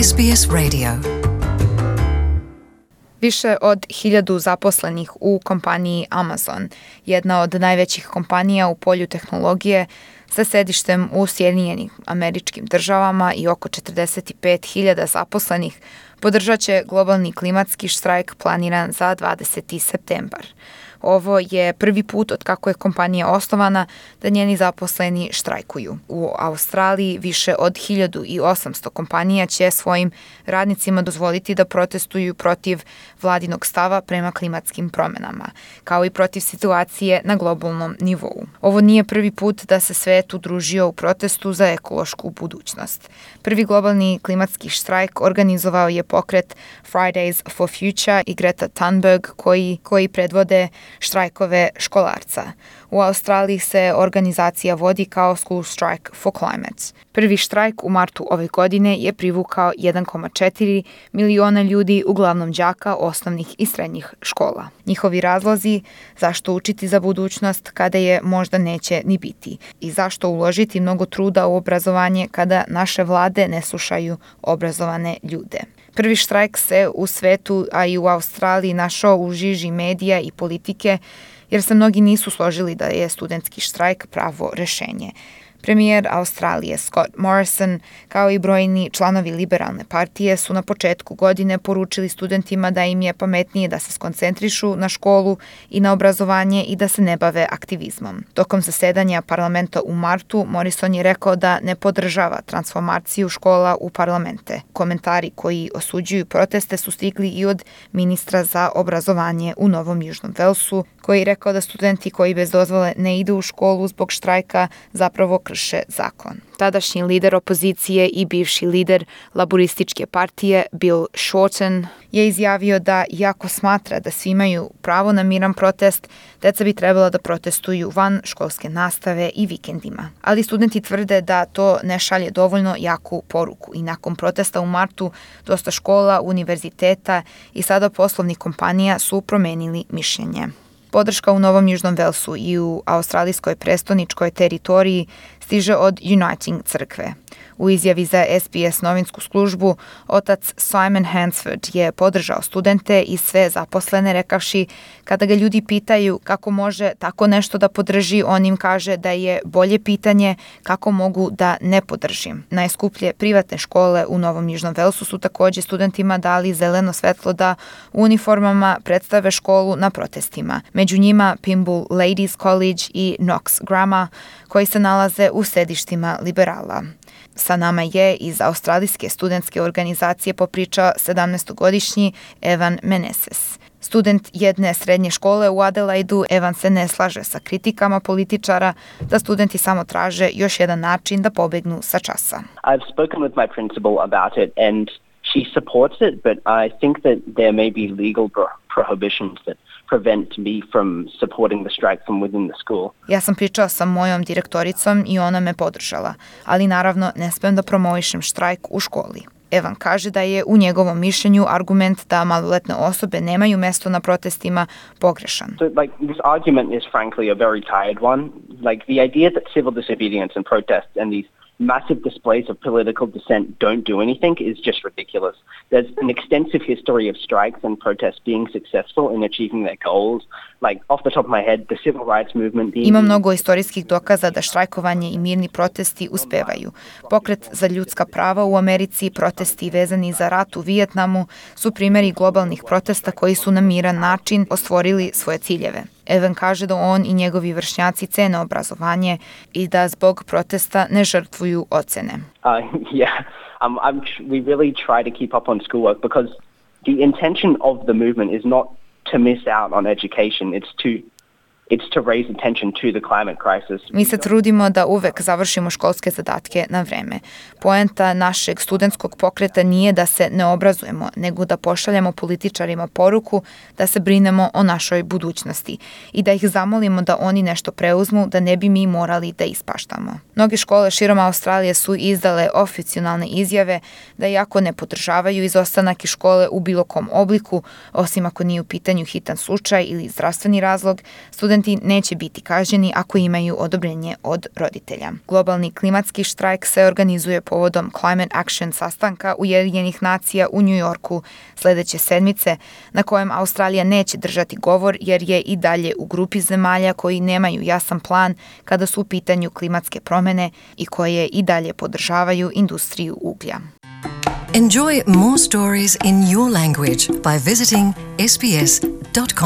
SBS Radio. Više od 1000 zaposlenih u kompaniji Amazon, jedna od najvećih kompanija u polju tehnologije sa sedištem u Sjedinjenim Američkim Državama i oko 45.000 zaposlenih, podržat će globalni klimatski štrajk planiran za 20. septembar. Ovo je prvi put od kako je kompanija osnovana da njeni zaposleni štrajkuju. U Australiji više od 1800 kompanija će svojim radnicima dozvoliti da protestuju protiv vladinog stava prema klimatskim promjenama, kao i protiv situacije na globalnom nivou. Ovo nije prvi put da se svet udružio u protestu za ekološku budućnost. Prvi globalni klimatski štrajk organizovao je pokret Fridays for Future i Greta Thunberg koji predvode štrajkove školarca. U Australiji se organizacija vodi kao School Strike for Climate. Prvi štrajk u martu ove godine je privukao 1,4 miliona ljudi, uglavnom đaka osnovnih i srednjih škola. Njihovi razlozi zašto učiti za budućnost kada je možda neće ni biti i zašto uložiti mnogo truda u obrazovanje kada naše vlade ne slušaju obrazovane ljude. Prvi štrajk se u svetu, a i u Australiji, našao u žiži medija i politike jer se mnogi nisu složili da je studentski štrajk pravo rešenje. Premijer Australije Scott Morrison, kao i brojni članovi liberalne partije, su na početku godine poručili studentima da im je pametnije da se skoncentrišu na školu i na obrazovanje i da se ne bave aktivizmom. Tokom zasedanja parlamenta u martu, Morrison je rekao da ne podržava transformaciju škola u parlamente. Komentari koji osuđuju proteste su stigli i od ministra za obrazovanje u Novom Južnom Velsu, koji je rekao da studenti koji bez dozvole ne idu u školu zbog štrajka zapravo krše zakon. Tadašnji lider opozicije i bivši lider laborističke partije Bill Shorten je izjavio da, iako smatra da svi imaju pravo na miran protest, deca bi trebala da protestuju van školske nastave i vikendima. Ali studenti tvrde da to ne šalje dovoljno jaku poruku i nakon protesta u martu dosta škola, univerziteta i sada poslovnih kompanija su promenili mišljenje. Podrška u Novom Južnom Velsu i u australijskoj prestoničkoj teritoriji stiže od Uniting crkve. U izjavi za SBS novinsku službu, otac Simon Hansford je podržao studente i sve zaposlene rekavši kada ga ljudi pitaju kako može tako nešto da podrži, on im kaže da je bolje pitanje kako mogu da ne podržim. Najskuplje privatne škole u Novom Južnom Velsu su također studentima dali zeleno svetlo da u uniformama predstave školu na protestima. Među njima Pymble Ladies College i Knox Grammar, koji se nalaze u sedištima liberala. Sa nama je iz australijske studentske organizacije popričao 17-godišnji Evan Meneses. Student jedne srednje škole u Adelaidu, Evan se ne slaže sa kritikama političara da studenti samo traže još jedan način da pobegnu sa časa. I've spoken with my principal about it and she supports it, but I think that there may be legal prohibitions that prevent me from supporting the strike from within the school. Ja sam pričao sa mojom direktoricom i ona me podržala, ali naravno ne smem da promovišem štrajk u školi. Evan kaže da je u njegovom mišljenju argument da maloletne osobe nemaju mesto na protestima pogrešan. So, this argument is frankly a very tired one. The idea that civil disobedience and protests and these massive displays of political dissent don't do anything is just ridiculous. There's an extensive history of strikes and protests being successful in achieving their goals. Off the top of my head, the civil rights movement... Ima mnogo istorijskih dokaza da štrajkovanje i mirni protesti uspevaju. Pokret za ljudska prava u Americi, protesti vezani za rat u Vijetnamu su primjeri globalnih protesta koji su na miran način ostvarili svoje ciljeve. Evan kaže da on i njegovi vršnjaci cene obrazovanje i da zbog protesta ne žrtvuju ocene. We really try to keep up on schoolwork because the intention of the movement is not to miss out on education. It's to raise attention to the climate crisis. Mi se trudimo da uvek završimo školske zadatke na vreme. Poenta našeg studentskog pokreta nije da se ne obrazujemo, nego da pošaljemo političarima poruku da se brinemo o našoj budućnosti i da ih zamolimo da oni nešto preuzmu, da ne bi mi morali da ispaštamo. Mnoge škole širom Australije su izdale oficijalne izjave da iako ne podržavaju izostanak iz škole u bilo kom obliku, osim ako nije u pitanju hitan slučaj ili zdravstveni razlog, studenti studenti neće biti kažnjeni ako imaju odobrenje od roditelja. Globalni klimatski štrajk se organizuje povodom Climate Action sastanka Ujedinjenih nacija u New Yorku sljedeće sedmice, na kojem Australija neće držati govor jer je i dalje u grupi zemalja koji nemaju jasan plan kada su u pitanju klimatske promjene i koje i dalje podržavaju industriju uglja. Enjoy more stories in your language by visiting sbs.com.au.